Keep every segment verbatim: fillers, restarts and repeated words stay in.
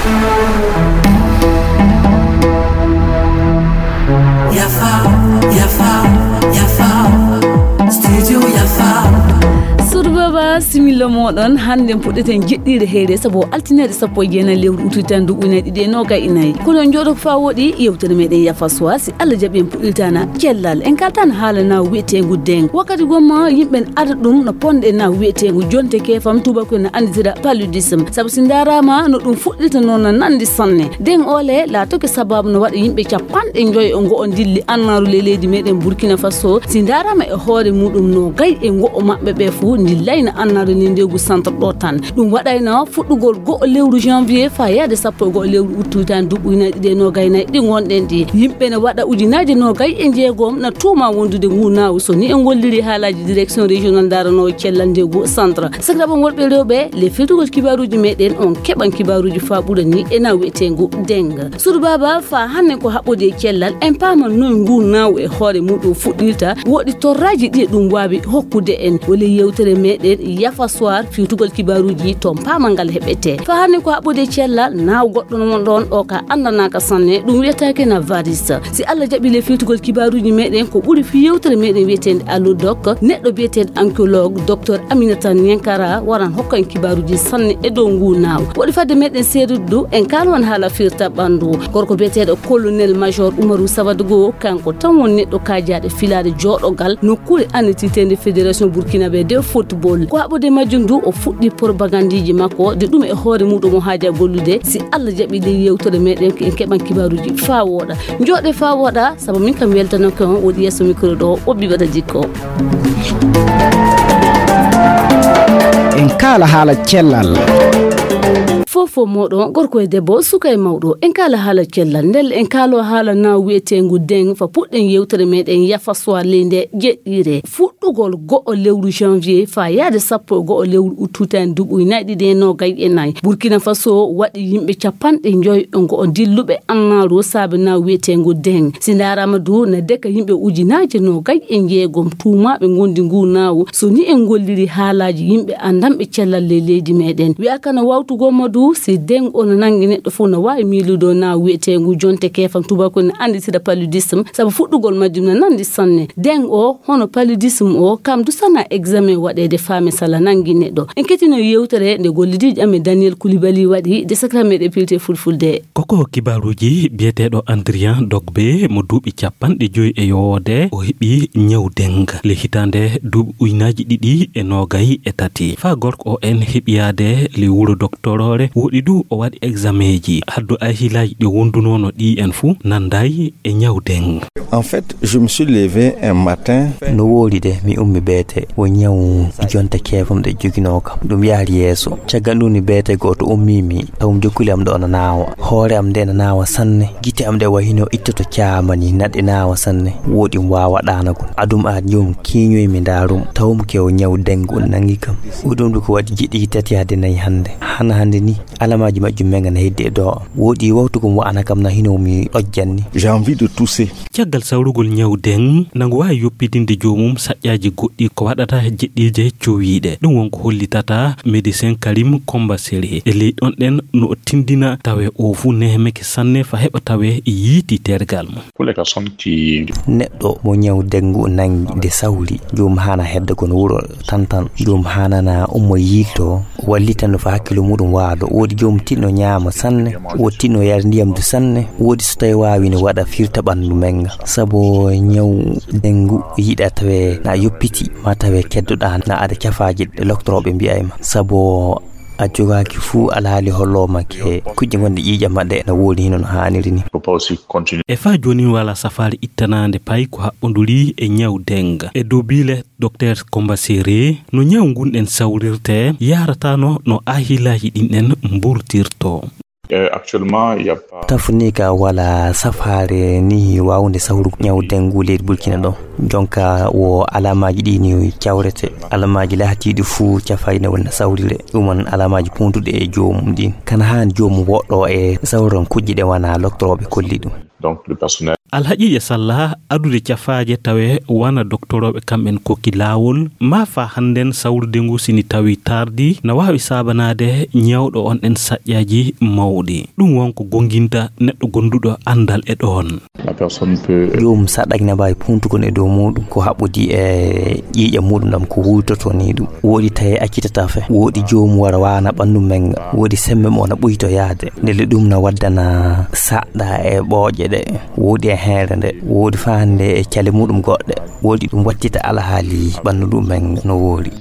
Yafa, yafa, yafa. Studio yafa. Suudu Baba, similla moɗon. Hannde puɗɗeten jeɗɗiire heyre, sabu o altine sappo e jeenayi lewru ututan duɓu ina ɗiɗi e noogay e nayi. Kono on jooɗo ko faa woɗi yewtere meɗen yafa soir, si Allah jaɓi en puɗɗiltana cellal. En kaltan haala na wiyeteengu deng. Wakkati gomma yimɓe ada ɗum no ponde na wiyeteengu jonte kefam tubakoy na anditira paludisme. Sabu si ndaarama no ɗum fuɗɗirta noon no nandi sanne. Deng ole laatoke sababu no waɗa yimɓe capanɗe njoyo e ngo'o ndilli annaaru ley leydi meɗen Burkina Faso. Si ndaarama e hoore muɗum noogay e ngo'o maɓɓe ɓe fuu ndillayna annaaru ley ndegu centre ɗo tan. Ɗum waɗayno fuɗɗugol go'o lewru janvier faa yaade sappo e go'o lewru uttu tan duɓu ina ɗiɗi e noogay nayi ɗi ngonɗen ɗi. Yimɓe ne waɗa ujunaaji noogay e jeegom na tuuma wondude ngu naawu so ni en ngolliri haalaaji direction régional ndaranoowo cellal ndegu centre. Sakiraaɓe worɓe e rewɓe, le firtugol kibaaruuji meɗen on keɓan kibaaruuji faa ɓura ni e na wiyeteengu deng. Suudu Baba, faa hannde ko haɓɓude e cellal, en paaman noy ngu naawu e hoore muɗum fuɗɗirta, woɗi torraaji ɗi ɗum waawi hokkude en. Wole yewtere meɗen yafa soir firtugol kibaaruuji toon paamal ngal heɓete. Faa hannde ko haɓɓude e cellal, naawu goɗɗo no won ɗoon o ka anndanaaka sanne, ɗum wiyetaake na varis. Si Allah jaɓi le firtugol kibaaruuji meɗen ko ɓuri fii yewtere meɗen wiyeteende Allo Doc, neɗɗo biyeteeɗo ankiologue, Docteur Aminata Niankara, waran hokka en kibaaruuji sanne e dow ngu naawu. Woɗi fadde meɗen seedude du, en kaala on haala firta ɓanndu. Gorko biyeteeɗo Colonel Major Umaru Savadogo, kanko tan won neɗɗo kaajaaɗo filaade jooɗogal nokkuure annititeende Fédération Burkinabé de Football. Ko haɓude majjum du, o fuɗɗi propagandiji makko, de ɗum e hoore muɗum o haaja gollude. Si Allah jaɓi ley yewtere meɗen, en keɓan kibaaruuji faa wooɗa. Njooɗe faa wooɗa, sabu min kam weltanooke on woɗi yeeso micro ɗo, o ɓiɓɓe ɗo jikko. En kaala haala cellal. Fof fof moɗon, gorko e debbo, suka e mawɗo, en kaala haala cellal. Ndelle en kaalo haala na wiyeteengu deng fa puɗɗen yewtere meɗen yafa soir ley nde jeɗɗiire. Fuɗɗugol go'o lewru janvier faa yaade sappo e go'o lewru uttu tan duɓu ina ɗiɗi e noogay e nayi. Burkina Faso waɗi yimɓe capanɗe njoyo e ngo'o dilluɓe annaaru saabe na wiyeteengu deng. Si ndaarama du na deka yimɓe ujunaaje noogay e jeegom tuumaaɓe ngondi ngu naawu. So ni en ngolliri haalaaji yimɓe anndanɓe cellal ley leydi meɗen. Wi'aka no wawtugol mo du si deng ono nangi neɗɗo fof no waawi miilude na wiyeteengu jonte kefam tubakoy no annditira paludisme, sabu fuɗɗugol majjum no nandi sanne. Deng o, hono paludisme o, kam du sana examen waɗeede faame sala nangi neɗɗo. En kettino yewtere nde gollidiijo amen Daniel Koulibaly waɗi, de sakra meɗen pilte fulfulde. Koko kibaaruuji biyeteeɗo Andrian Dogbe mo duuɓi capanɗe joyi e yowoode, o heɓi ñaw deng le hitaande duuɓi ujunaaji ɗiɗi e noogay e tati. Faa gorko o en heɓiyaade le wuro doktoroore, woɗi du o waɗi exameeji. Haddu ahilaaji ɗi wondunoono ɗi en fuu nanday e ñaw deng. En fait, je me suis levé un matin. No woori de, mi ummi beete, wo ñaw jonte keefam ɗe joginoo kam. Ɗum yahri yeeso. Caggal ɗum ni beete gooto ummii mi, taw mi jokkuli am ɗo no naawa. Hoore am nde no naawa sanne. Gite am ɗe wahino ittoto caama ni, naɗe naawa sanne. Woɗi mi waawa ɗaanagol. Adum aad ñum kiiñoy mi ndaarum. Tawum ke o ñaw dengu nangi kam. Woɗi ɗum ɗo ko waɗi jiɗi tati yaade nayi hannde. Hana hannde ni, alamaaji majjum men ngana heddi e do. Woɗi wawtugol wa'ana kam na hino mi ɗojjanni. J'ai envie de tousser. Caggal sawrugol ñaw deng, nangu waawi yoppitinde joomum saƴƴaaji goɗɗi ko waɗata jeɗɗiije cowiiɗe. Ɗum won ko hollitata médecin Karim Komba Sere. E ley ɗon ɗen no o tindina tawe o fuu nehmeke sanne fa heɓa tawe yiiti tergal mum. Pour les personnes qui Neɗɗo mo ñaw dengu nangi nde sawri, joom hana hedda kono wuro tantan. Joom hanana ummo yiilto, wallita no fa hakkilo muɗum waalo. Woodi joom tinno ñaama sanne, woodi tinno yara ndiyam du sanne, woodi so tawi waawi no waɗa firta ɓanndu menga. Sabu ñaw dengu yiɗa tawe na yoppiti, ma tawe keddoɗa na ada cafaaji ɗe loktorooɓe mbi'ay ma. Sabu a jogaaki fuu alhaali hollooma ke kuƴƴe gonɗe ƴiiƴam maɗɗe ena woodi hino no haaniri ni. Faut pas aussi continuer. E faa jooni wala safaari ittanaande pay ko haɓɓonduri e ñaw denga. E dow biile Docteur Komba Sere, no ñaw ngun en sawrirte, yaarataano no ahilaaji ɗin en mburtirto. Euh, actuellement, il y a pas. Tafu ni ka wala safaare ni waawde sawru ñaw dengu leydi Burkina ɗo. Jonka wo alamaaji ɗi ni cawrete. Alamaaji lahatiiɗi fuu cafayno wona sawrire. Ɗum won alamaaji puntuɗi e joomum ɗin. Kana haani joomum woɗɗo e sawran kuƴƴe ɗe wana loktorooɓe kolli ɗum. Donc, le personnel. Alhaqiiqa sallaa adude cafaaje tawe wana doktorooɓe kamɓen kokki laawol, maa faa hannden sawrude ngu sini tawi tardi na waawi saabanaade ñawɗo on en saƴƴaaji mawɗi. Ɗum won ko gonginta neɗɗo gonduɗo anndal e ɗoon. Joom saɗɗaaji na mbaawi puuntugol e dow muuɗum ko haɓɓodii e ƴiiƴam muuɗum ɗam ko huuytotoo nii ɗum. Woodi tawi accitataa fe, woodi joom wara waana ɓanndu men, woodi semmbe mo na ɓuytoyaade. Ndelle ɗum na waddana saɗɗa e ɓooƴe ɗe. Woodi e heere nde, woodi faa hannde e cale muuɗum goɗɗe. Woodi ɗum wattita alhaali ɓanndu ɗum men no woori.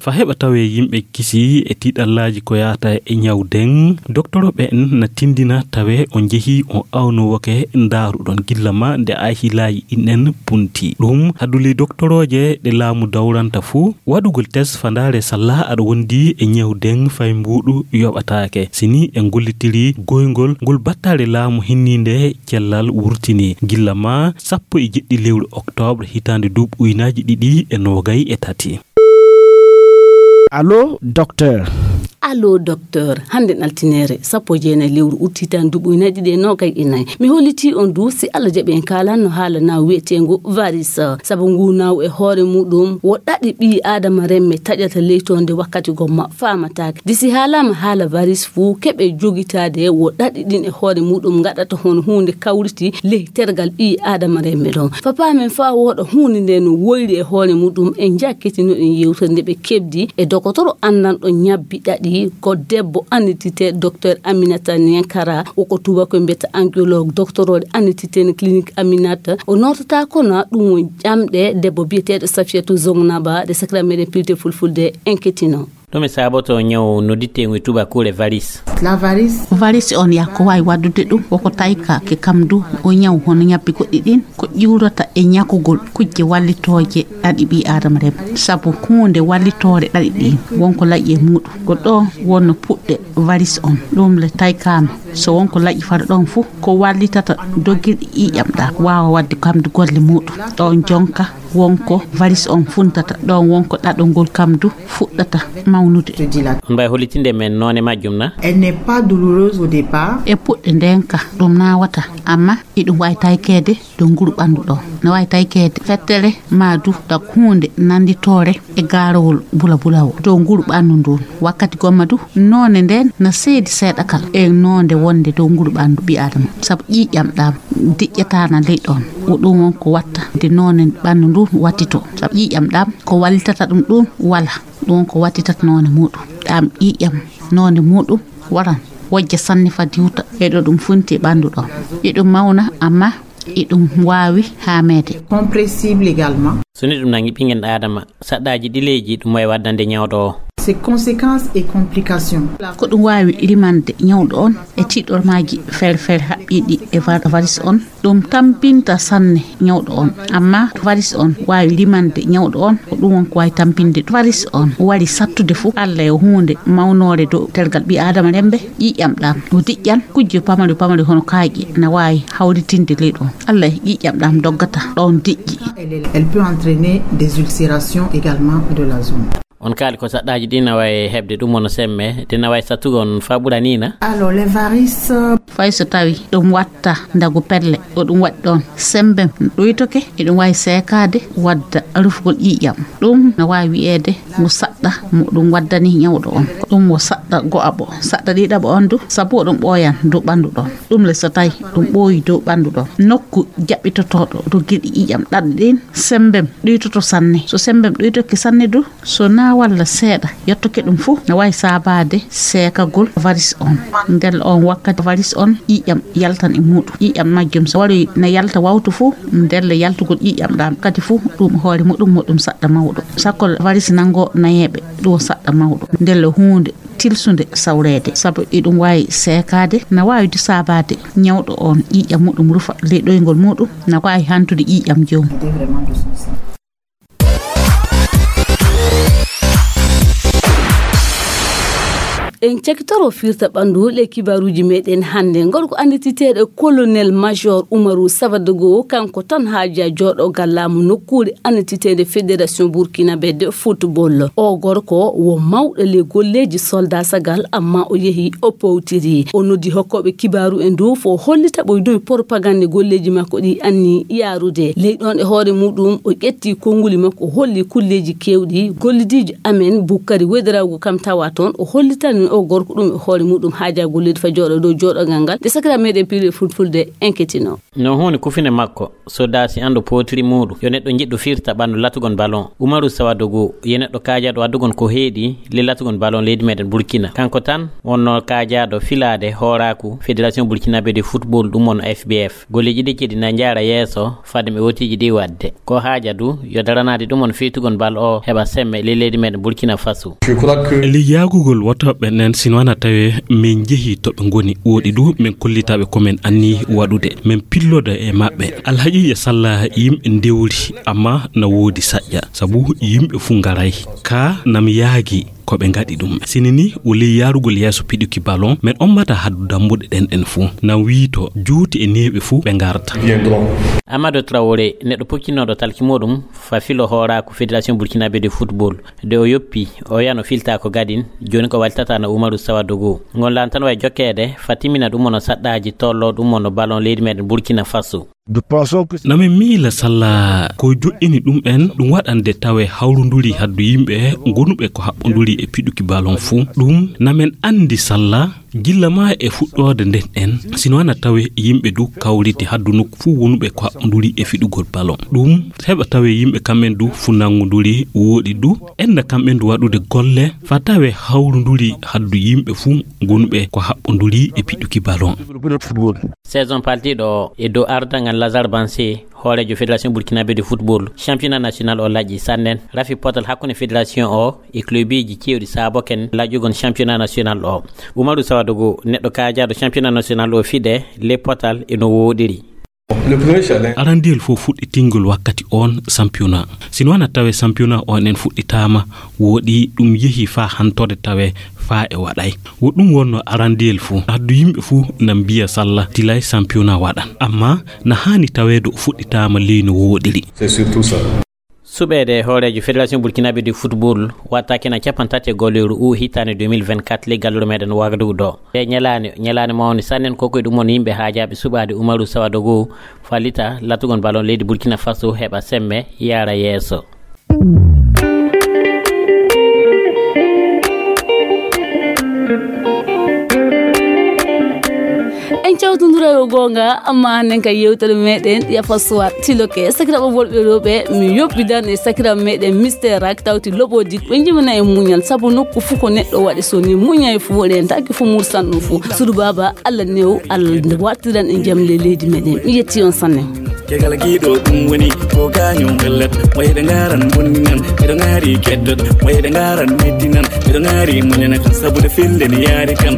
Fa heɓa tawee yimɓe kisii e tiiɗallaaji ko yaata e ñaw deŋ, doktorooɓe en na tinndina tawee on njehii on awnoowoke ndaaruɗon gilla ma nde ay hilaaji ɗin en punti. Ɗum hadduli doktorooje ɗe laamu dawranta fuu waɗugol test fa ndaare sallaa aɗa wondi e ñaw deŋ fay mbuuɗu yoɓataake. Sini en gollitirii goyngol ngol battaare laamu hinniinde cellal wurtini gilla ma sappo e jeɗɗi lewru oktoobre hitaande duuɓi uynaaji ɗiɗi e noogay e tati. Allo, docteur. Allo, docteur. Hannde altineere, sappo e jeenayi lewru ut hitaande duuɓi uynaaji ɗiɗi e noogay e nayi. Mi hollitii on du, si Allah jaɓi en kaalan no haala naawu wiyeteengu varis. Sabu ngu naawu e hoore muɗum, wo ɗaɗi ɓii Aadama remme taƴata leytoonde wakkati gomma faamataake. De si haalaama haala varis fuu, keɓe jogitaade wo ɗaɗi ɗin e hoore muɗum ngaɗata hono huunde kawriti ley tergal ɓii Aadama remme ɗon. Fa paamen faa wooɗa huunde nde no woyri e hoore muɗum, en njakkitinoɗen yewtere nde ɓe keɓdi e dokotoro anndanɗo ñabbi ɗaɗi, ko debbo annditite docteur Aminata Niankara, o ko tubakoy mbiyata angiologue, doctorooɗo annditite no clinique Aminata. O nootata kono ɗum won ƴamɗe debbo biyeteeɗo Safiyatu Zongnaba, ɗe sakira meɗen pilte fulfulde en kettino. Ɗume saboto ñaw nodditteengu e tubakuure varis? Varis on yaa ko waawi waɗdude ɗum, woko tayka ke kam du, o ñaw hono ñabbi goɗɗi ɗin, ko ƴiwrata e ñakugol kujje wallitooje ɗaɗi ɓii Aadama rem. Sabu huunde wallitoore ɗaɗi ɗin, won ko laƴi e muuɗum. Ko ɗo wonno puɗɗe varis on, ɗum le taykaama. So won ko laƴi fara ɗon fuu, ko wallitata dogirɗi ƴiiƴam ɗam, waawa waɗde kam du golle muuɗum. Ɗon jonka won ko varis on funtata, ɗon won ko ɗaɗol ngol kam du fuɗɗata mawnude. On mbaawi hollitinde men noone majjum na? Elle n'est pas douloureuse au départ. E puɗɗe ndeen ka ɗum naawataa, amma iɗum waawi taykeede dow nguru ɓanndu ɗoo. No waawi taykeede fettere maa du ɗak huunde nannditoore e gaarowol bulabulawo dow nguru ɓanndu ndun. Wakkati gomma du noone ndeen na seedi seeɗa kala e noonde wonde dow nguru ɓanndu ɓii Aadama. Sabu ƴiiƴam ɗam diƴƴataana ley ɗon. Ko ɗum won ko watta nde noone ɓanndu ndun wattitoo. Sabu ƴiiƴam ɗam ko wallitata ɗum ɗum wala. Ɗum won ko wattitata noone muuɗum. Ɗam ƴiiƴam noone muuɗum waran wojja sanne fa diwta e ɗo ɗum funti e ɓanndu ɗon. Iɗum mawna amma iɗum waawi haameede. Compressible également. So neɗɗo nangi ɓinngel Aadama, saɗɗaaji ɗileeji ɗum wawi waddande ñawɗo o. Ses conséquences et complications. Ko ɗum waawi rimande ñawɗo on e tiiɗormaaji feere feere haɓɓiiɗi e var- varis on. Ɗum tampinta sanne ñawɗo on. Amma varis on waawi rimande ñawɗo on, ko ɗum won ko waawi tampinde. Varis on wari sattude fof, Allah e huunde mawnoore dow tergal ɓii Aadama rembe, ƴiiƴam ɗam o diƴƴan, kujje pamare pamare hono kaaƴe na waawi hawritinde ley ɗon. Allah e ƴiiƴam ɗam doggata ɗon diƴƴi. Elle peut entraîner des ulcérations également de la zone. On kaali ko saɗɗaaji ɗi na wayi heɓde ɗum wona semme, ɗi na wayi sattugo on faa ɓura nii na? Alors les varices. Fay so tawi ɗum watta ndagu pelle, ko ɗum waɗi ɗon. Semmbem ɗuytoke, eɗum waawi seekaade, wadda rufugol ƴiiƴam. Ɗum na waawi wiyeede mo saɗɗa mo ɗum waddani ñawɗo on. Ko ɗum wo saɗɗa go'aɓo. Saɗɗa ɗiɗaɓo on du, sabu o ɗum ɓooyan dow ɓanndu ɗon. Ɗum le so tawi ɗum ɓooyi dow ɓanndu ɗon. Nokku jaɓɓitotooɗo dow giɗi ƴiiƴam ɗaɗi ɗin, semmbem ɗuytoto sanne. So semmbem ɗuytoke sanne du, so na walla seeɗa yottoke ɗum fof, na waawi saabaade seekagol varis on. Ndelle on wakkati varis on ƴiiƴam yaltan e muuɗum. Ƴiiƴam majjum so waroyi na yalta wawtu fof, ndelle yaltugol ƴiiƴam ɗam kadi fof ɗum hoore muɗum mo ɗum saɗɗa mawɗo. Sakko varis nanngo nayeeɓe ɗum saɗɗa mawɗo. Ndelle huunde tilsunde sawreede, sabu iɗum waawi seekaade, na waawi du saabaade ñawɗo on ƴiiƴam muɗum rufa ley ɗoyngol muɗum, na waawi hantude ƴiiƴam joomum. En cakitoro firta ɓandu le kibaruji meɗen hannde. Gorko anndititeeɗo colonel major Umaru Savadogo, kanko tan haaja jooɗogal laamu nokkuure anndititeende Fédération Burkinabé de Football. O gorko wo mawɗo le golleeji soldasagal, amma o yehi o powtiri. O noddi hokkooɓe kibaru en dow fo hollita ɓoy dume propagande golleeji makko ɗi anni yaarude. Ley ɗon e hoore muɗum o ƴetti konnguli makko, o holli kulleeji kewɗi gollidiijo amen Bukkari Wederago kam tawa toon. O hollitani o gorko ɗum e hoore muɗum haaja golleeji fa jooɗo dow jooɗogal ngal. Nde sakira meɗen piiɗe fulfulde enketino. No huunde kufine makko, so daasi anndo pootiri muuɗum, yo neɗɗo jiɗɗo firta ɓanndu latugon ballon. Umaru Sawadogo, yo neɗɗo kaajaaɗo addugon ko heedi le latugon ballon leydi meɗen Burkina. Kanko tan wonno kaajaaɗo filaade hooraaku Fédération Burkinabé de Football, ɗum wonno F B F. Golleeji ɗi kadi na njaara yeeso fade mi ootiiji ɗi waɗde. Ko haaja du, yo daranaade ɗum on fiytugol bal o heɓa semme ley leydi meɗen Burkina Faso. Ley yaagugol wotooɓe ɓen, sino wana tawe min njehi to ɓe ngoni, woɗi du min kollitaɓe ko min anni waɗude. Min pilloda e maɓɓe. Alhaqiiqa salla yimɓe ndewri, amma na woodi saƴƴa, sabu yimɓe fuu ngaray. Ka nam yaagi ko ɓe ngaɗi ɗum. Sini ni o ley yaarugol yeeso piɗuki ballon, min ommata haddu dambuɗe ɗen ɗen fuu. Nan wiito juuti e neeɓe fuu ɓe ngarta. Amadou Traoré, neɗɗo pokkinooɗo talki muɗum fa filo hooraaku Fédération Burkinabé de Football. Nde o yoppi, o yano filta ko gadin, jooni ko waltata no Umaru Sawadogo. Ngon lan tan way jokkeede, fa timmina ɗum ono saɗɗaaji tollo ɗum ono ballon leydi meɗen Burkina Faso. Namin miila salla ko joƴƴini ɗum en, ɗum waɗande tawe hawrunduri haddu yimɓe gonuɓe ko haɓɓunduri e piɗuki ballon fuu. Ɗum namin anndi salla gilla ma e fuɗɗoode nden en, sino wana tawe yimɓe du kawriti haddu nokku fuu wonuɓe ko haɓɓunduri e fiɗugol ballon. Ɗum heɓa tawe yimɓe kamɓen du fu nanngunduri woɗi du, enna kamɓen du waɗude golle fa tawe hawrunduri haddu yimɓe fuu gonuɓe ko haɓɓunduri e piɗuki ballon. Saison paltiiɗo o e dow ardangal Lazare Bansé, hooreejo Fédération Burkinabé de Football, championnat national o laƴƴi sannen, rafi potal hakkunde fédération o e clubiji cewɗi saaboken laƴƴugol championnat national o. Umaru Sawadogo, neɗɗo kaajaaɗo championnat national o fiɗe le potal e no woɗiri. Arandiyel fof fuɗɗitingol wakkati on championnat. Sino wana tawe championnat on en fuɗɗitaama, woɗi ɗum yehi faa hantorde tawe faa e waɗay. Wo ɗum wonno arandiyel fuu. Addu yimɓe fuu na mbiya salla tilay championnat waɗan. Amma na haani taweede o fuɗɗitaama ley no woɗiri. Suɓeede hooreejo Fédération Burkinabé de Football wattaaki na capanɗe tati e gollooru u hitaande deux mille vingt-quatre ley gallure meɗen Wagadugu ɗo. E ñalaande, ñalaande mawnde sannen ko koye ɗum won yimɓe haajaaɓe suɓaade Umaru Sawadogo fallita latugol ballon leydi Burkina Faso heɓa semme yaara yeeso. En cawtondira yo goonga, amma hannden ka yewtere meɗen yafa suwat tiloke. Sakiraɓe worɓe rewɓe, mi yoppidan e sakiraɓe meɗen Mister Rak tawti loɓodik. Ɓe jimana en muñal, sabu nokku fuu ko neɗɗo waɗi so ni muñay fuu, rentaki fuu mursan ɗum fuu. Sudu baaba, Allah new, Allah wartiran en jam le leydi meɗen. Mi yetti on sanne. Kegal giɗo ɗum woni ko gaño bellat, wayde ngaran bonninan, miɗo ngari keddot, wayde ngaran mettinan, miɗo ngari muñana kan sabude fille ni yaari kam.